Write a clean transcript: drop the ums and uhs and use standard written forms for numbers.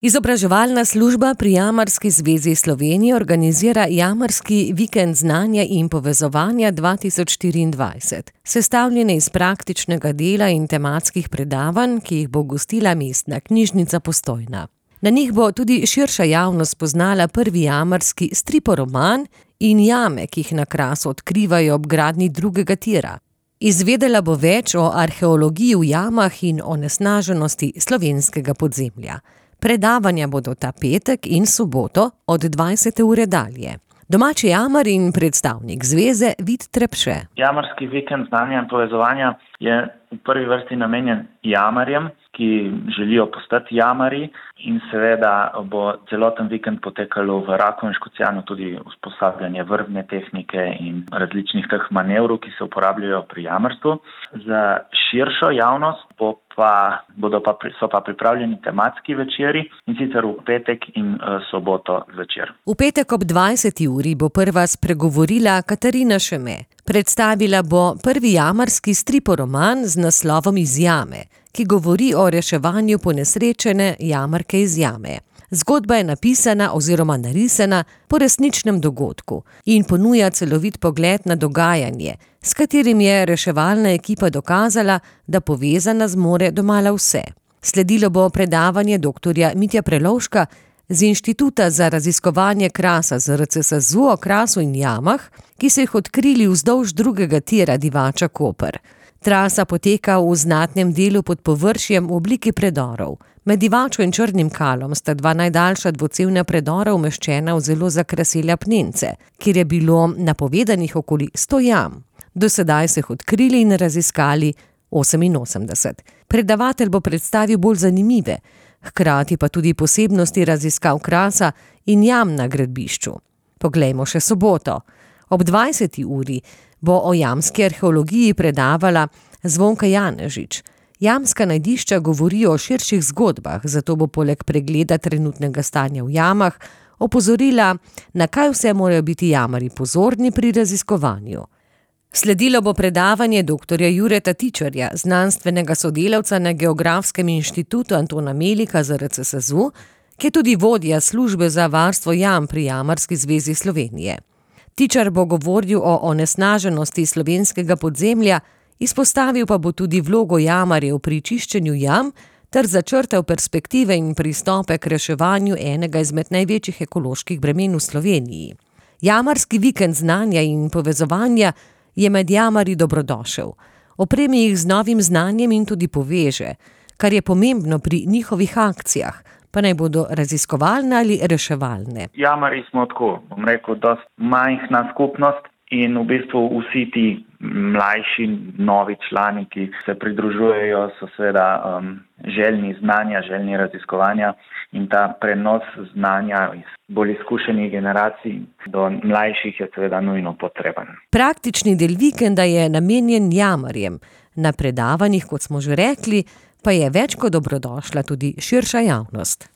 Izobraževalna služba pri Jamarski zvezi Slovenije organizira Jamarski vikend znanja in povezovanja 2024, sestavljene iz praktičnega dela in tematskih predavanj, ki jih bo gostila Mestna knjižnica Postojna. Na njih bo tudi širša javnost spoznala prvi jamarski striporoman in jame, ki jih na Krasu odkrivajo ob gradnji drugega tira. Izvedela bo več o arheologiji v jamah in onesnaženosti slovenskega podzemlja. Predavanja bodo ta petek in soboto od 20. ure dalje. Domači jamar in predstavnik zveze Vid Trepše. Jamarski vikend znanja in povezovanja je v prvi vrsti namenjen jamarjem, ki želijo postati jamari, in seveda bo celoten vikend potekalo v Raku in Škocjanu tudi usposabljanje vrvne tehnike in različnih teh manevrov, ki se uporabljajo pri jamarstvu. Za širšo javnost so pa pripravljeni tematski večeri, in sicer v petek in soboto zvečer. V petek ob 20. uri bo prva spregovorila Katarina Šeme. Predstavila bo prvi jamarski striporoman z naslovom Iz jame, ki govori o reševanju ponesrečene jamarke iz jame. Zgodba je napisana oziroma narisana po resničnem dogodku in ponuja celovit pogled na dogajanje, s katerim je reševalna ekipa dokazala, da povezana zmore domala vse. Sledilo bo predavanje dr. Mitja Prelovška z Inštituta za raziskovanje Krasa ZRC SAZU o Krasu in jamah, ki so jih odkrili vzdolž drugega tira Divača Koper. Trasa poteka v znatnem delu pod površjem v obliki predorov. Med Divačo in Črnim Kalom sta dva najdaljša dvocevna predora umeščena v zelo zakrasile apnence, kjer je bilo napovedanih okoli 100 jam. Do sedaj so jih odkrili in raziskali 88. Predavatelj bo predstavil bolj zanimive, hkrati pa tudi posebnosti raziskav Krasa in jam na gradbišču. Poglejmo še soboto. Ob 20. uri bo o jamski arheologiji predavala Zvonka Janežič. Jamska najdišča govorijo o širših zgodbah, zato bo poleg pregleda trenutnega stanja v jamah opozorila, na kaj vse morajo biti jamarji pozorni pri raziskovanju. Sledilo bo predavanje dr. Jureta Tičarja, znanstvenega sodelavca na Geografskem inštitutu Antona Melika ZRC SAZU, ki je tudi vodja službe za varstvo jam pri Jamarski zvezi Slovenije. Tičar bo govoril o onesnaženosti slovenskega podzemlja, izpostavil pa bo tudi vlogo jamarjev pri čiščenju jam ter začrtal perspektive in pristope k reševanju enega izmed največjih ekoloških bremen v Sloveniji. Jamarski vikend znanja in povezovanja je med jamarji dobrodošel. Opremi jih z novim znanjem in tudi poveže, kar je pomembno pri njihovih akcijah, pa naj bodo raziskovalne ali reševalne. Jamarji smo tako, dosti majhna skupnost in v bistvu vsi ti mlajši, novi člani, ki se pridružujejo, so seveda željni znanja, željni raziskovanja, in ta prenos znanja iz bolj izkušenih generacij do mlajših je seveda nujno potreben. Praktični del vikenda je namenjen jamarjem. Na predavanjih, kot smo že rekli, pa je več kot dobrodošla tudi širša javnost.